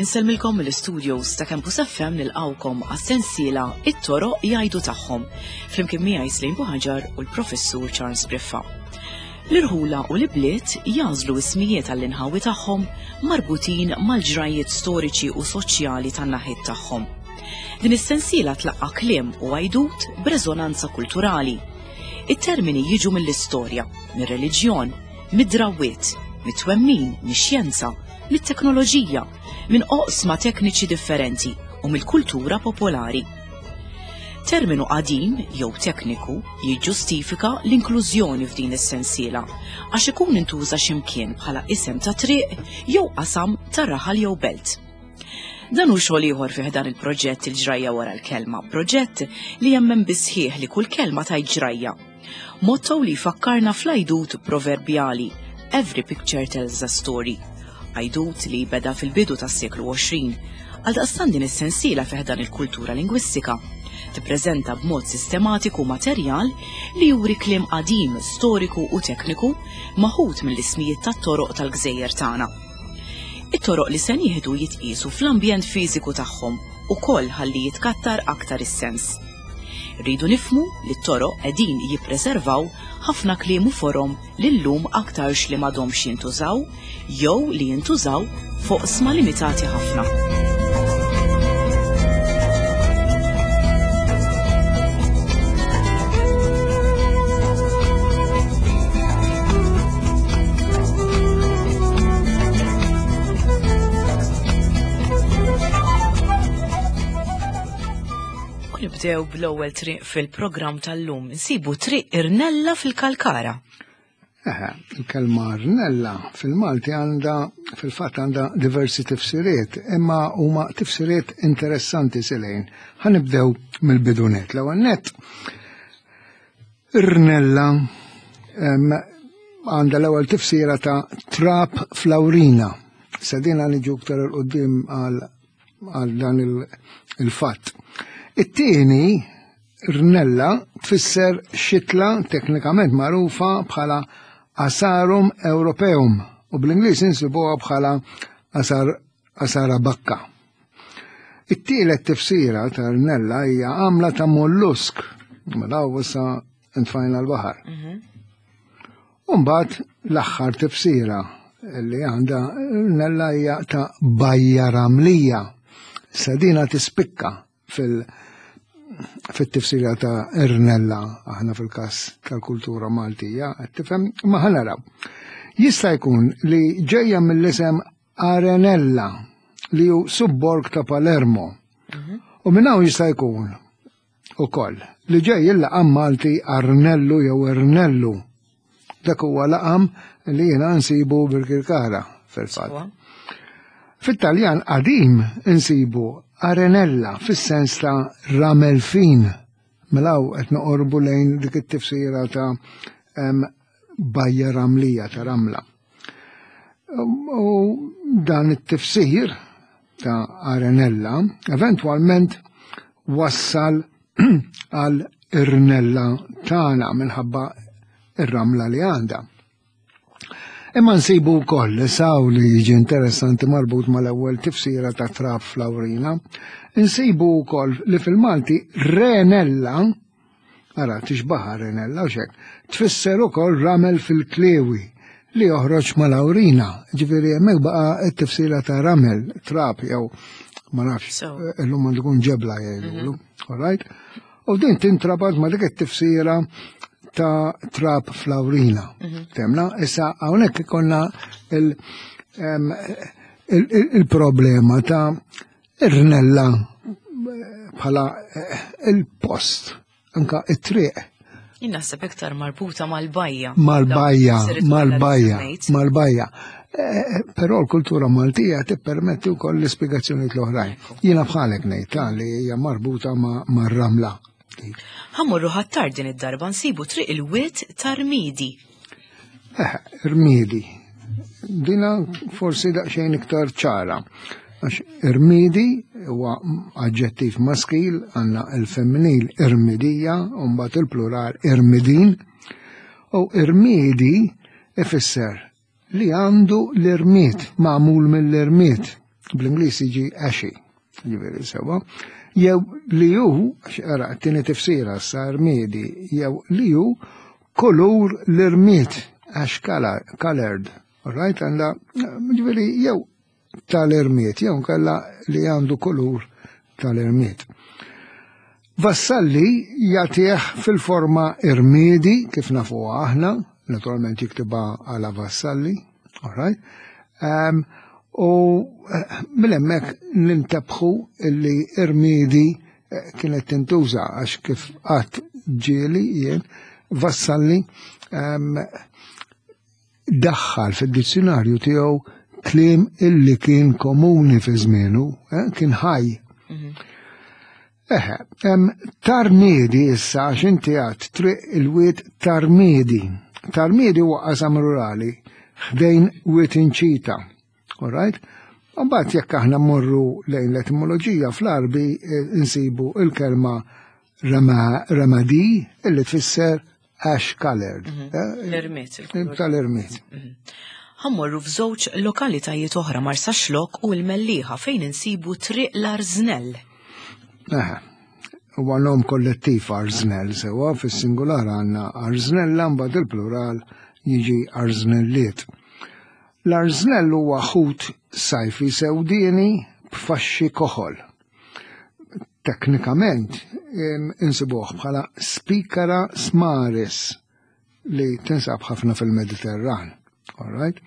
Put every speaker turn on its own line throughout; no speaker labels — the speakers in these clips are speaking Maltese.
Insellmilkom mill-studios ta' Campus FM nilqawkom għas-sensiela It-toroq jgħidu tagħhom flimkien miegħi Slim Buħaġar u l-Professur Charles Briffa. L-irħula u l-ibliet jagħżlu ismijiet għall-inħawi tagħhom marbutin mal-ġrajjiet storiċi u soċjali tan-naħiet tagħhom. Din is-sensiela tlaqqa' kliem u għajdut b'reżonanza kulturali. It-termini jiġu mill-istorja, mir-reliġjon, mid-drawwiet, mit-twemmin, mix-xjenza, mit-teknoloġija, minn oqsma tekniċi differenti u mill-kultura popolari. Terminu qadim jew tekniku jiġġustifika l-inklużjoni f'din is-sensiela għax ikun intuża x'imkien bħala isem ta' triq jew qasam ta' raħal jew belt. Dan hu xogħol ieħor fih dan il-proġett il-ġrajja wara l-kelma, proġett li jemmen bisħieħ li kull kelma tajt ġrajja. Motto li jfakkarna fl-għajdut proverbjali Every picture tells a story. Għajdut li beda fil-bidu tas-seklu 20. Għaldaqstant din is-sensiela fih dan il-kultura lingwistika tippreżenta b'mod sistematiku materjal li juri kliem qadim, storiku u tekniku maħud mill-ismijiet tat-toroq tal-gżejjer tagħna. It-toroq li se nieħdu jitqiesu fl-ambjent fiżiku tagħhom ukoll ħalli jitkattar aktar is-sens. Rridu nifhmu li t-toroq qegħdin jippreservaw ħafna kliem u forom li llum aktarx li m'għadhomx jintużaw jew li jintużaw f'oqsma limitati ħafna. U nibdew bl-ewwel triq fil-programm tal-lum. Nsibu triq Irnella fil-Kalkara.
Eħe, il-kelma rnella fil-Malti għandha fil-fatt għandha diversi tifsiriet, imma huma tifsiriet interessanti silejn. Ħanibdew mill-bidunet. L-ewwel nett rnella għandha l-ewwel tifsira ta' trap flawrina. Sedina niġu iktar il-qudiem għal għal dan il-fatt. It-tieni rnella tfisser xitla teknikament magħrufa bħala Asarum Europeum u bl-Ingliż insibuha bħala asar Asara bakka. It-tielet tifsira ta' rnella hija għamla ta' mollusk, mela issa ntfajna l-baħar. Mhm. Umbat l-aħħar tifsira li għandha nella hija ta' bajja ramlija. Sadina tispikka fil- fit-tifsira ta' irnella aħna fil-kas tal-kultura Maltija, qed tifhem, ma ħanaraw. Jista' jkun li ġejja mill-isem Arenella li hu subborg ta' Palermo. Mhm. U minn hawn jista' jkun ukoll li ġej il-laqam Malti Arnellu jew Ernellu. Dak huwa laqam li jiena nsibu bil-Kirkara fil-fatt. Fit-Taljan qadim insibu arenella fis-sens ta' ramel fin. Mela qed noqorbu lejn dik it-tifsira ta' bajja ramlija ta' ramla. U dan it-tifsir ta' Arenella eventwalment wassal għal irnella tagħna minħabba ir-ramla li għandha. Imma nsibu wkoll saw li jiġi interessanti marbut mal-ewwel tifsira ta' traf flawrina, nsibu wkoll li fil-Malti renella Ara, tixbaha renella u xek. Tfisser ukoll ramel fil-klewi li joħroġ mal-awrina. Ġifieri hemmhekk baqa' t-tifsira ta' ramel, trap jew ma nafx, illum għandu jkun ġebla jgħidulu. Mhm. All right? U din tintrabat ma' dik it-tifsira ta' trap fl-awrina. Mhm. Temna, issa hawnhekk ikonna il-problema ta' Ir-rnella bħala eh, il-post, anka it-triq.
Jien naħseb iktar marbuta mal-bajja.
Mal-bajja, mal-bajja, mal-bajja. Eh, però l-kultura Maltija tippermetti wkoll l-ispjegazzjonijiet l-oħrajn. Jiena bħalek ngħid li hija marbuta mar-ramla.
Ħammurru ħattar din id-darba nsibu triq il-wied tar-Rmidi.
Eh, Rmidi. Dina forsi daqsxejn iktar ċara. Għax irmidi huwa aġġettiv maskil, għandna il-femminil irmidija, u mbagħad il-plural irmidin. U irmidi ifisser li għandu l-irmied, magħmul mill-irmied. Bl-Ingliż jiġi ashy, ġifieri sewwa. Jew li hu, għax ara t-tieni tifsira sa irmiedi, jew li hu kulur l-irmied, ash colored. All right, għandha, ġifieri jew tal-irmied, jew nkella li għandu kulur tal-irmied. Vassalli jagħtih fil-forma irmiedi kif nafuha aħna, naturalment jiktibha għala Vassalli, all right? Um, u eh, minn hemmhekk nintebħu illi irmiedi eh, kienet tintuża għax kif qatt ġieli jien Vassalli um, daħħal fid-dizzjunarju tiegħu kliem illi kien komuni fi żmienu, eh, kien ħaj. Mhm. Eħe, tarmiedi issa għax inti għad triq il-wied tarmiedi. Tarmiedi huwa qasam rurali ħdejn wied inċita. All right? Mbagħad jekk aħna mmorru lejn l-etimoloġija fl-Arbi eh, insibu il-kelma ramadi illi tfisser ash colored. Mhm.
Eh, L-irmiet.
Tal-irmiet.
Mhm. Ħammorru f'żewġ lokalitajiet oħra Marsaxlokk u l-Mellieħa fejn insibu Triq l-Arżnell.
Eħe, huwa nom kollettiv Arżnell sewa fis-singular għandna Arżnella mbagħad il-plural jiġi Arżnelliet. L-arżnell huwa ħut sajfi sewdieni b'faxxi koħol. Teknikament insibuh bħala Spikara smaris li tinsab ħafna fil-Mediterran. All right?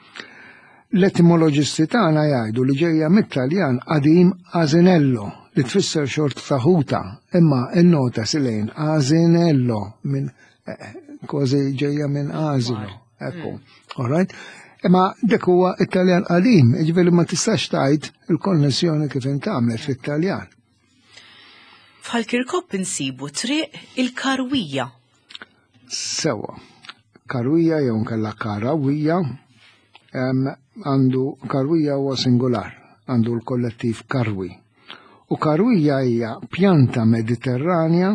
L-etimoloġisti tagħna jgħidu li ġejja mit-Taljan qadim asinello li tfisser xort ta' ħuta, imma n-nota silejn asinello minn eh, kważi ġejja minn asino. Ekku. Mm. All right? Imma dik huwa Italjan qadim, jiġifieri ma tistax tgħid il-konnessjoni kif intgħamlet fit-Taljan.
F'Ħal Kirkop insibu triq il-Karwija.
Sewa. Karwija jew nkella Karawija għandu karwija huwa singular, għandu l-kollettiv karwi. U karwija hija pjanta Mediterranja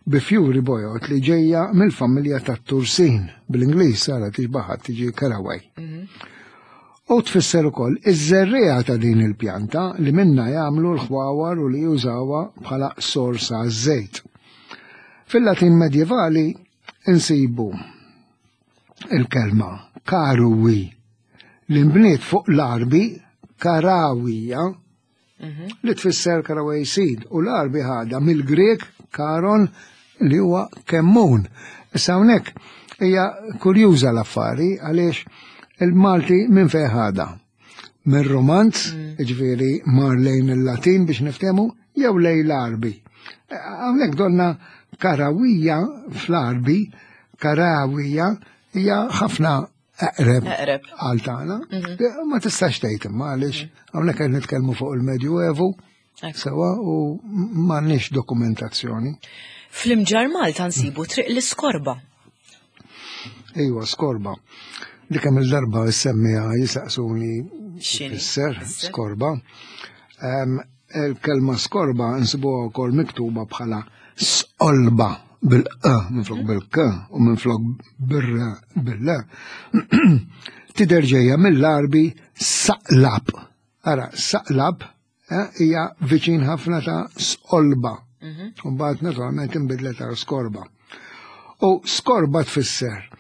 bi fjuri bojod li ġejja mill-familja tat-tursin, bl-Ingliż sara tixbaħa tiġi caraway. Mhm. U tfisser ukoll iż-żerriegħa ta' din il-pjanta li minna jagħmlu l-ħwawar u li jużawha bħala sors għaż-żejt. Fil-Latin medjevali insibu il-kelma karuwi li nbniet fuq l-Arbi karawija mhm. li tfisser caraway seed u l-Arbi ħadha mill-Grek karon li huwa kemmun. Issa hawnhekk hija kurjuża l-affari għaliex il-Malti minn fejn ħadha. Minn Romanz, mm. ġifieri mar lejn il-Latin biex niftehmu, jew lejn l-Arbi. Hawnhekk donna karawija fl-Arbi, karawija hija ħafna eqreb għal tagħna. Mhm. Ma tistax tgħid imma għaliex mhm. hawnhekk qed nitkellmu fuq il-Medjuevu sewa u m'għandniex dokumentazzjoni.
Fl-imġar Malta nsibu triq l-iskorba.
Ejwa, skorba. Dik hemm il-darba semmija jisaqsuni fisser skorba. Il-kelma skorba nsibuha wkoll miktuba bħala sqolba bil-q minflok mhm. bil-k u minflok bil-r bil-l. Tidher ġejja mill-Arbi saqlab. Ara, saqlab eh, hija viċin ħafna ta' sqolba. Mhm. U mbagħad naturalment inbidlet għal skorba. U skorba tfisser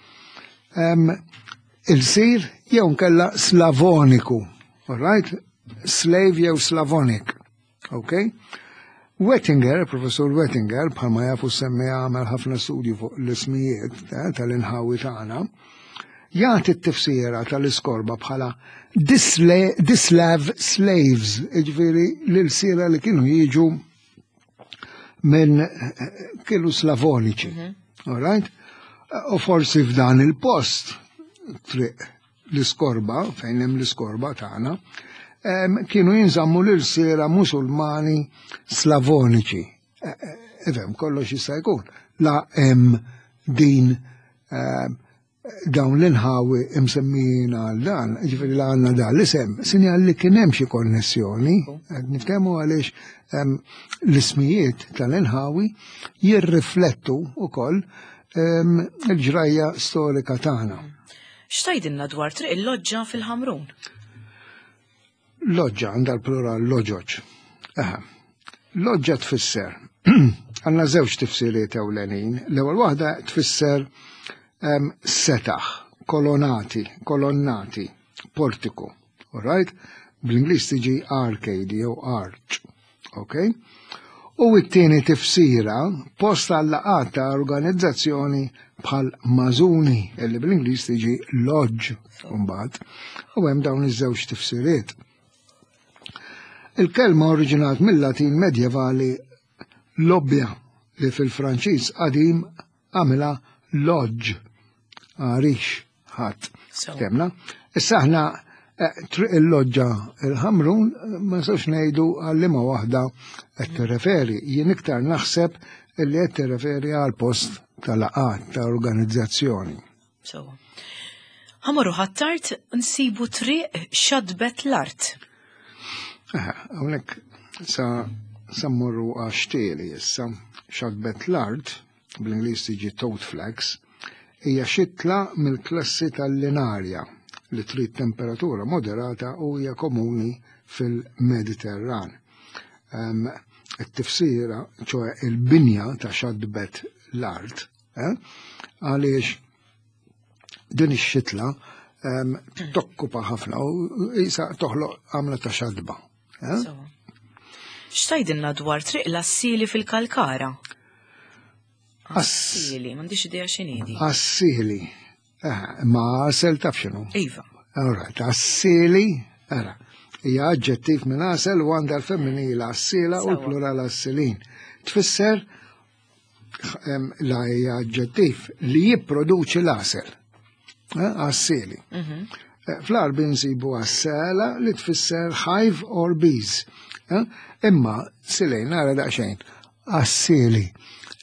il-sir jew nkella slavoniku. All right? Slave jew Slavonic. Ok? Wettinger, professor Wettinger, bħalma jafu semmi għamel ħafna studju fuq l-ismijiet eh, tal-inħawi tagħna, jagħti t-tifsira tal-iskorba bħala dislav slaves, jiġifieri l-ilsiera li kienu jiġu minn eh, kienu slavoniċi. Mhm. All right? U forsi f'dan il-post triq l-iskorba, fejn hemm l-iskorba tagħna, kienu jinżammu l-irsiera Musulmani Slavoniċi. E, e, ifhem, kollox jista' jkun. La hemm din dawn l-inħawi imsemmijin għal dan, ġifieri li għandna dan l-isem, sinjal li kien hemm xi konnessjoni, qed nitkellmu għaliex l-ismijiet tal-inħawi jirriflettu wkoll il-ġrajja storika tagħna.
X'tgħidilna dwar triq il-Loġġa fil-Ħamrun?
Loġġa għandha l-plural loġoġ. Aha. Loġġa tfisser. Għandna żewġ tifsiriet ewlenin. L-ewwel waħda tfisser setaħ, kolonati, kolonnati, portiku. All right? Bl-Ingliż tiġi arcade jew arch. Ok? U t-tieni tifsira post għal-laqgħat ta' organizzazzjoni bħal mażuni illi bl-Ingliż tiġi lodge mbagħad. U hemm dawn iż-żewġ tifsiriet. Il-kelma oriġinat mill-Latin medjevali lobbja li fil-Franċiż qadim għamilha lodge, għarix ħadd. Temna. Issa aħna eh, triq il-loġġa il-ħamrun eh, ma nistgħux ngħidu għal liema waħda qed tirreferi. Jien iktar naħseb li qed tirreferi għal post tal-laqat ta' organizzazzjoni.
So. Ħamorru ħattart nsibu triq xadbet l-art.
Hawnhekk sa sammurru għax-xtieli issa xadbet l-art bl-Ingliż tiġi toad flax, hija xitla mill-klassi tal-linarja li trid temperatura moderata u hija komuni fil-Mediterran. It-tifsira, ċoe il-binja ta' xadbet l-art, eh, għaliex din ix-xitla tokkupa ħafna u jisa toħloq għamla ta' xadba. Eh?
X'tajdilna dwar triq l-assili fil-Kalkara? Assili, m'għandix idea x'inhi.
Assili. Eh, ma għasel taf x'inhu.
Iva.
All right, assili, ara. Hija aġġettiv minn għasel u għandha l-femminil assila u l-plural assilin. Tfisser la hija aġġettiv li jipproduċi l-għasel. Eh, għassili. Mhm. Eh, fl-Arbi nsibu għassela li tfisser hive or bees. Eh, imma silejn nara daqsxejn għassili.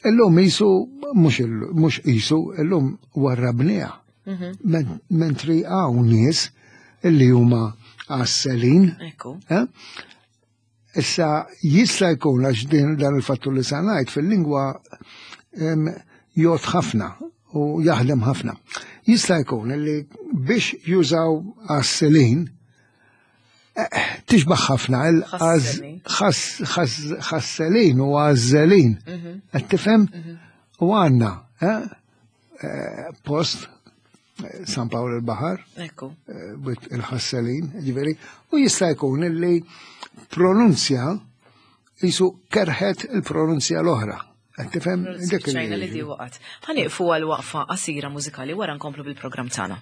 Illum jisu mhux jisu, illum warrabniha. Mhm. Mentri hawn nies illi huma għasselin. Issa jista' jkun għax din dan il-fattur li sa ngħid fil-lingwa jgħod ħafna u jaħdem ħafna. Jista' jkun li biex jużaw għas-selin eh, tixbaħ ħafna il-ħasselin u għazzelin. Mhm. Qed tifhem? Mhm. U għandna eh, eh, post San Pawl il-Bahar, eh, il-ħasselin, ġiveri, u jista' jkun illi pronunzja jisu kerħet il-pronunzja l-oħra. Qed tifhem
dik li di waqgħet. Ħanieqfu għal waqfa qasira mużikali wara nkomplu bil-programm tagħna.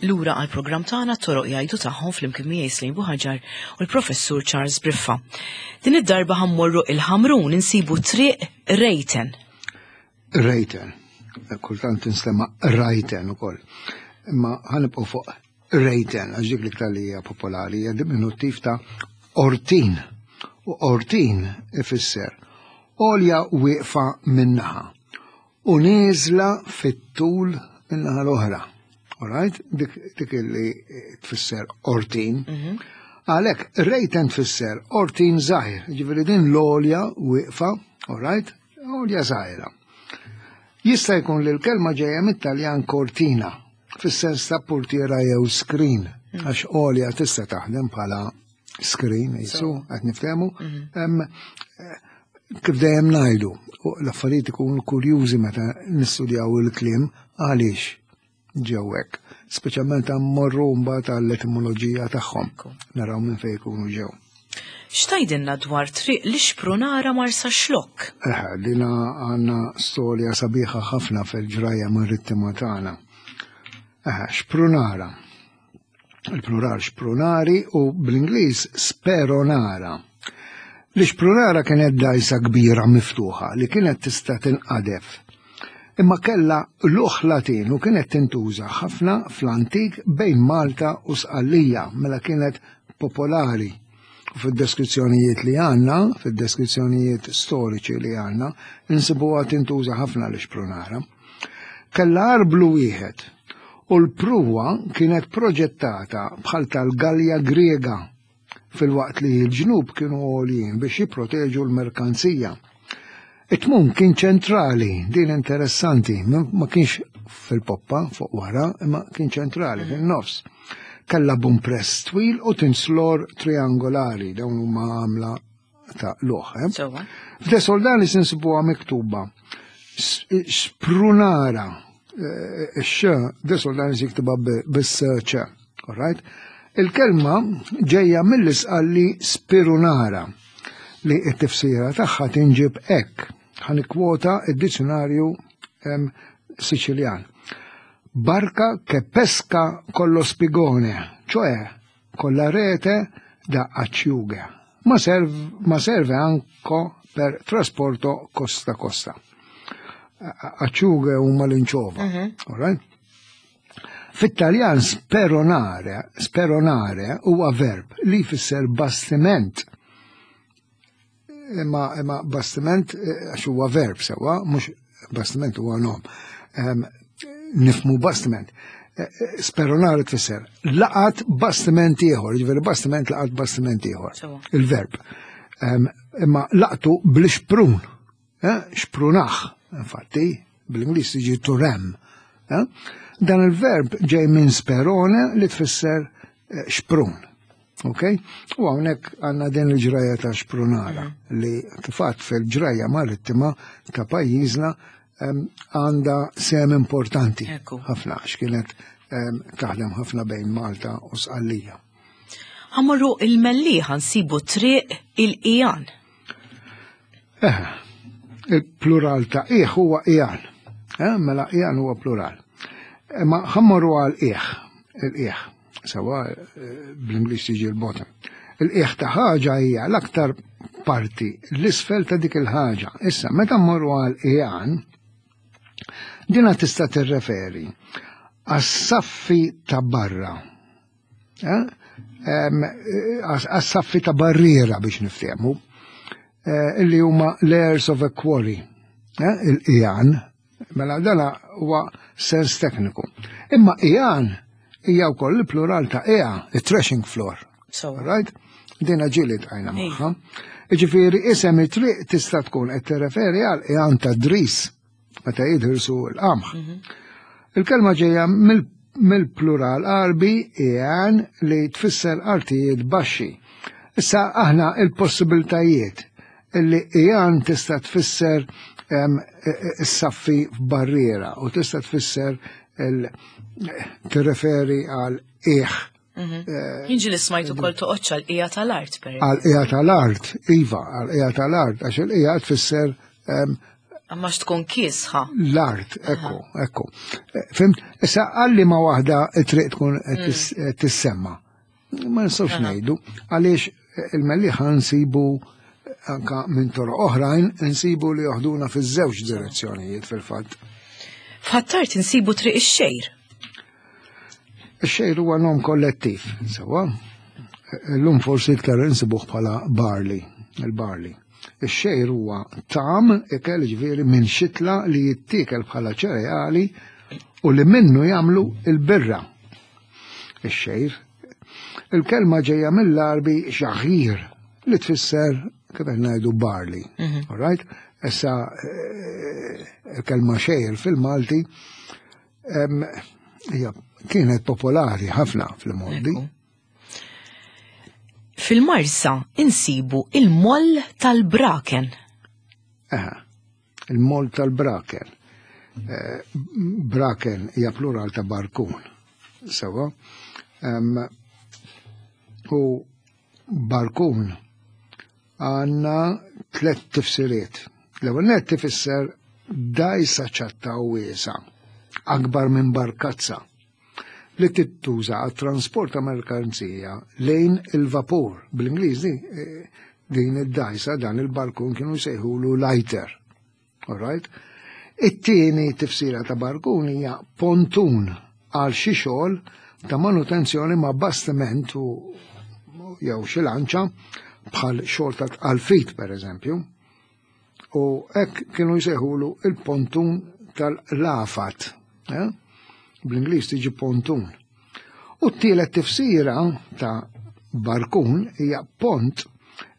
Lura għal programm tagħna toroq jgħidu tagħhom flimkien miegħi Slim Buħaġar u l-Professur Charles Briffa. Din id-darba ħammorru il-Ħamrun insibu triq Rejten.
Rejten. Kultant tinstema' Rajten ukoll. Imma ħanibqgħu fuq Rejten għax dik l-iktar li hija popolari hija diminuttiv ta' ortin. U ortin ifisser għolja wieqfa minnaħa u nieżla fit-tul min-naħa l-oħra. Alright? Dik, dik li tfisser ortin. Mhm. Għalhekk, rejten tfisser ortin żgħir, ġifieri din l-għolja wieqfa, alright? Għolja żgħira. Jista' jkun li l-kelma ġejja mit-Taljan cortina, fis-sens ta' portiera jew screen, mhm. għax għolja tista' taħdem bħala screen, jisu, qed niftehmu. Mhm. Eh, kif dejjem ngħidu, l-affarijiet ikunu kurjużi meta nistudjaw il-kliem għaliex ġew hekk. Speċjalment morru mbagħad għall-etimoloġija tagħhom. Naraw minn fejn ikunu ġew.
X'tajdilna dwar triq li xprunara Marsa Xlokk?
Eh, dina għandna storja sabiħa ħafna fil-ġrajja marittima tagħna. Eh, xprunara. Il-plural xprunari u bl-Ingliż speronara. L-ixprunara kienet dgħajsa kbira miftuħa li kienet tista' tinqadef. Imma kellha luħ Latin u kienet tintuża ħafna fl-antik bejn Malta u Sqallija mela kienet popolari. U fid-deskrizzjonijiet li għandna, fid-deskrizzjonijiet storiċi li għandna, insibuha tintuża ħafna l-ixprunara. Kellha arblu wieħed u l-pruwa kienet proġettata bħal tal-Galja Griega filwaqt li l-ġnub kienu għoljin biex jipproteġu l-merkanzija. It-tmun kien ċentrali, din interessanti, ma kienx fil-poppa fuq wara, imma kien ċentrali fin-nofs. Kella bumpress twil u tinslor triangolari, dawn huma għamla ta' luħ. Eh? F'De Soldani sinsibuha miktuba sprunara eh, x De Soldani jiktibha bis-ċ, alright? Il-kelma ġejja mill-isqalli spirunara li t-tifsira tagħha tinġib hekk. Ħanikwota id-dizzjonarju Siċiljan. Barca che pesca con lo spigone, cioè con la rete da acciughe, ma, serv, ma serve anche per trasporto costa costa. Acciughe huma l-inċova, uh mhm. -huh. right? Fit-Taljan speronare, speronare huwa verb li jfisser bastiment. Imma imma bastiment eh, għax huwa verb sewwa, mhux bastiment huwa nom. Nifmu bastiment. Eh, eh, speronare tfisser laqat bastiment ieħor, jiġifieri bastiment laqat bastiment ieħor. Il-verb. Imma laqtu bl-xprun. Eh, xprunaħ, infatti, bl-Ingliż tiġi to ram. Eh? Dan il-verb ġej minn sperone li tfisser eh, xprun. Ok? U hawnhekk għandna din il-ġraja ta' xprunara mm. li kifat fil-ġraja marittima ta' pajjiżna għandha sem importanti ħafna għax kienet taħdem ħafna bejn Malta u Sqallija.
Ħamorru il-Mellieħa nsibu triq il-Ijan.
Eh, il-plural ta' iħ huwa ijan. Eh, mela ijan huwa plural. Eh, ma ħammorru għal iħ, il-iħ, sewa eh, bl-Ingliż tiġi l-bottom. Il-iħ ta' ħaġa hija l-aktar parti l-isfel ta' dik il-ħaġa. Issa, meta mmorru għal ijan, dina tista' tirreferi għas-saffi ta' barra Eh? Għas-saffi ta' barriera biex niftehmu, eh, illi huma layers of a quarry, eh, il-ijan, mela dana huwa sens tekniku. Imma ijan hija wkoll il-plural ta' ea, il-threshing floor. So. Right? Dina ġieli tqajna magħha. Ġifieri isem it-triq tista' tkun qed tirreferi għal ijan ta' dris. meta jidħirsu l-qamħ. Mhm. Il-kelma ġejja mill-plural Arbi ian li tfisser artijiet baxxi. Issa aħna il-possibiltajiet illi ian tista' tfisser is-saffi f'barriera u tista' tfisser tirreferi għal iħ.
Mhm. Eh, Jinġi li smajtu kol toqgħodx għal qija tal-art per
Għal qija tal-art, iva, għal qija tal-art, għax il-qija tfisser
Għamma tkun kiesħa.
L-art, ekku, ekku. Eh, fimt, issa għalli ma waħda it-triq tkun mm. eh, tissemma. Ma nistgħux ngħidu għaliex eh, il-Mellieħa nsibu anka minn toroq oħrajn nsibu li joħduna fiż-żewġ direzzjonijiet fil-fatt.
F'Ħattart insibu triq ix-xejr.
Ix-xejr huwa nom kollettiv, sewa. Illum forsi iktar insibuh bħala barley, il-barley. Ix-xejr huwa tam ikel ġifieri minn xitla li jittiekel bħala ċereali u li minnu jagħmlu il-birra. Ix-xejr. Il-kelma ġejja mill-Arbi xaħir li tfisser kif qed ngħidu barley. Mhm. All right? Issa eh, il-kelma xejr fil-Malti hija kienet popolari ħafna fil-modi.
Fil-Marsa insibu il-moll tal-Braken.
Eħe, il-moll tal-Braken. Eh, braken hija plural ta' barkun. Sewa. U barkun għandna tlet tifsiriet. L-ewwel nett tifisser dgħajsa ċatta u wiesgħa, akbar minn barkazza, li tittuża għat-transport ta' merkanzija lejn il-vapur. Bl-Ingliż eh, din id-dgħajsa dan il-barkun kienu jsejħulu lighter. All right? It-tieni tifsira ta' barkun hija pontun għal xi xogħol ta' manutenzjoni ma' bastiment u jew xi lanċa bħal xogħol ta' tqalfit pereżempju. U hekk kienu jsejħulu il-pontun tal-lafat. Eh? Bl-Ingliż tiġi pontun. U t-tielet tifsira ta' barkun hija pont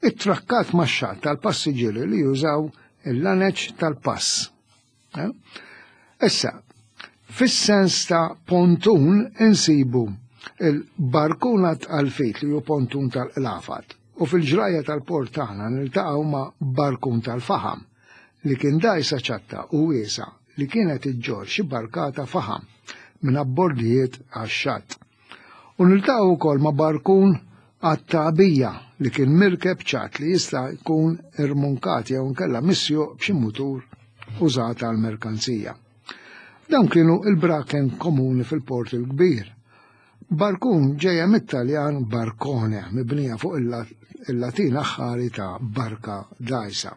ittrakkat max-xatt tal-passiġġieri li jużaw il-laneċ tal-pass. Eh? Issa, fis-sens ta' pontun insibu il-barkuna tal-fit li hu pontun tal-qlafat u fil-ġrajja tal-port tagħna niltaqgħu ma' barkun tal-faħam li kien dgħajsa ċatta u wiesgħa li kienet iġġorr xi barkata faħam minn abbordijiet għax-xatt. U niltaqgħu wkoll ma' barkun għat-tagħbija li kien mirkeb ċatt li jista' jkun irmunkat jew inkella misjuq b'xi mutur użat għall-merkanzija. Dawn kienu il-braken komuni fil-Port il-Kbir. Barkun ġejja mit-Taljan barcone, mibnija fuq il-Latin aħħari ta' barka dgħajsa.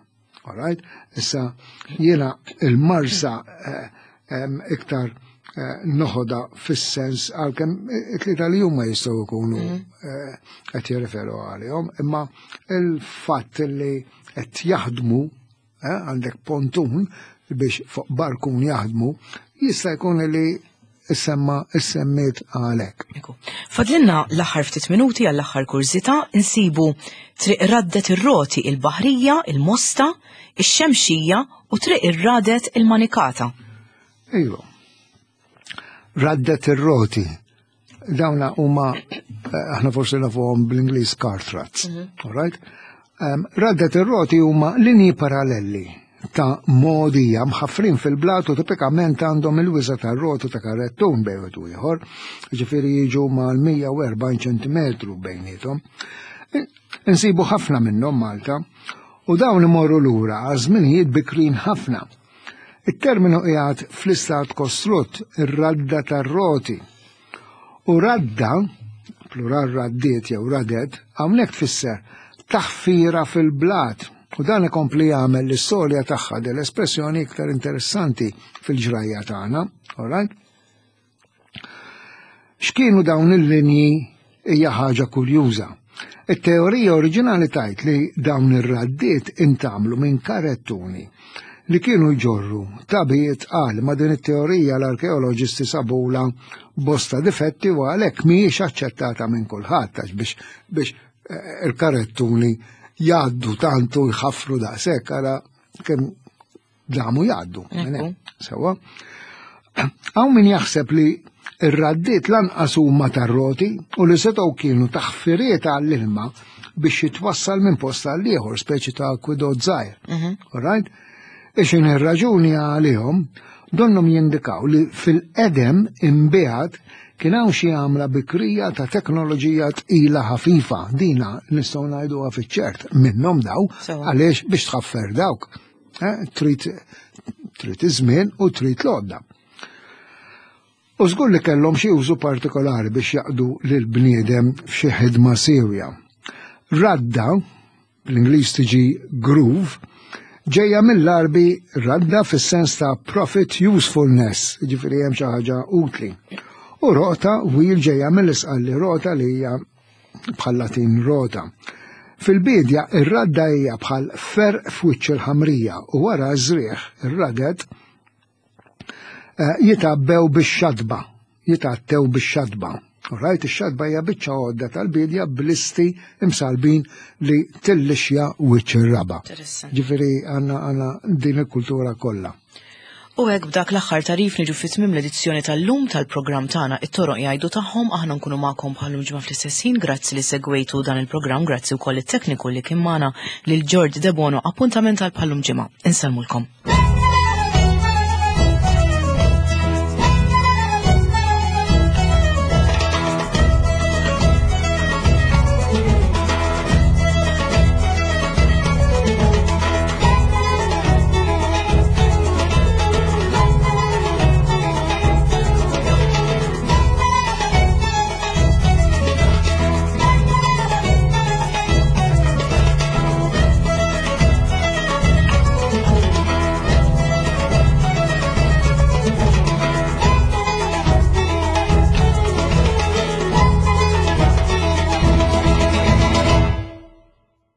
All right? Issa jiena il-marsa eh, iktar eh, noħoda fis-sens għalkemm it-tlieta li huma jistgħu jkunu mhm. eh, qed jirreferu għalihom, imma il-fatt li qed jaħdmu għandek pontun biex fuq barkun jaħdmu, jista' jkun li issemma issemmiet għalhekk.
Fadlinna l-aħħar ftit minuti għall-aħħar kurżità insibu triq raddet ir-roti il-Baħrija, il-Mosta, ix-Xemxija u triq irradet il-Manikata.
Iva. Raddet ir-roti. Dawna huma eh, aħna forsi nafuhom bl-Ingliż cart ruts. Mm -hmm. All right? Um, raddet ir-roti huma linji parallelli ta' mogħdija mħaffrin fil-blat u tipikament għandhom il-wiża tar-roti ta' karrettun bejn wieħed u ieħor, ġifieri jiġu mal-140 ċentimetru bejniethom. Insibu ħafna minnhom Malta u dawn imorru lura għal żminijiet bikrin ħafna. It-terminu qiegħed fl-istat kostrutt, ir-radda tar-roti. U radda, plural raddiet jew radet, hawnhekk tfisser taħfira fil-blat. U dan ikompli jagħmel l-istorja tagħha din l-espressjoni iktar interessanti fil-ġrajja tagħna. All right? X'kienu dawn il-linji hija ħaġa kurjuża. It-teorija oriġinali tajt li dawn ir-raddiet intamlu minn karettuni li kienu jġorru tabijiet qal ma din it-teorija l-arkeoloġisti sabula bosta difetti u għalhekk mhijiex aċċettata minn kulħadd għax biex biex eh, il-karettuni jgħaddu tantu jħaffru daqshekk ara kemm damu jgħaddu. Sewa. Hawn min jaħseb li ir-raddiet lanqas huma tar-roti u li setgħu kienu taħfiriet għall-ilma biex jitwassal minn post għal ieħor, speċi ta' akwidot żgħir. Mhm. All right? Ixin ir-raġuni għalihom donnom jindikaw li fil-qedem imbiegħed kien hawn xi għamla bikrija ta' teknoloġija tqila ħafifa, dina nistgħu ngħiduha fiċ-ċert minnhom daw għaliex biex tħaffer dawk. Eh, trid trid iż-żmien u trid l-għodda. U żgur li kellhom xi użu partikolari biex jaqdu lil bniedem f'xi ħidma siewja. Radda, bl-Ingliż tiġi groove, ġejja mill-Għarbi radda fis-sens ta' profit usefulness, jiġifieri hemm xi ħaġa utli. U roqta wheel ġejja mill-Isqalli rota li hija bħal Latin rota. Fil-biedja ir-radda hija bħal ferq f'wiċċ il-ħamrija u wara ż-żrigħ ir-radet eh, jitgħabbew bix-xatba, jitgħattew bix-xatba. Rajt ix-xatba hija biċċa għodda tal-bidja blisti imsalbin li tillixja wiċċ ir-raba. Ġifieri għandna għandna din il-kultura kollha.
U hekk b'dak l-aħħar tarif niġu fi tmiem l-edizzjoni tal-lum tal-programm tagħna it-toroq jgħidu tagħhom aħna nkunu magħkom bħallum ġimgħa fl-istess ħin grazzi li segwejtu dan il-programm grazzi wkoll it-tekniku li kien magħna lil George Debono appuntament għal bħallum ġimgħa. Insellmulkom.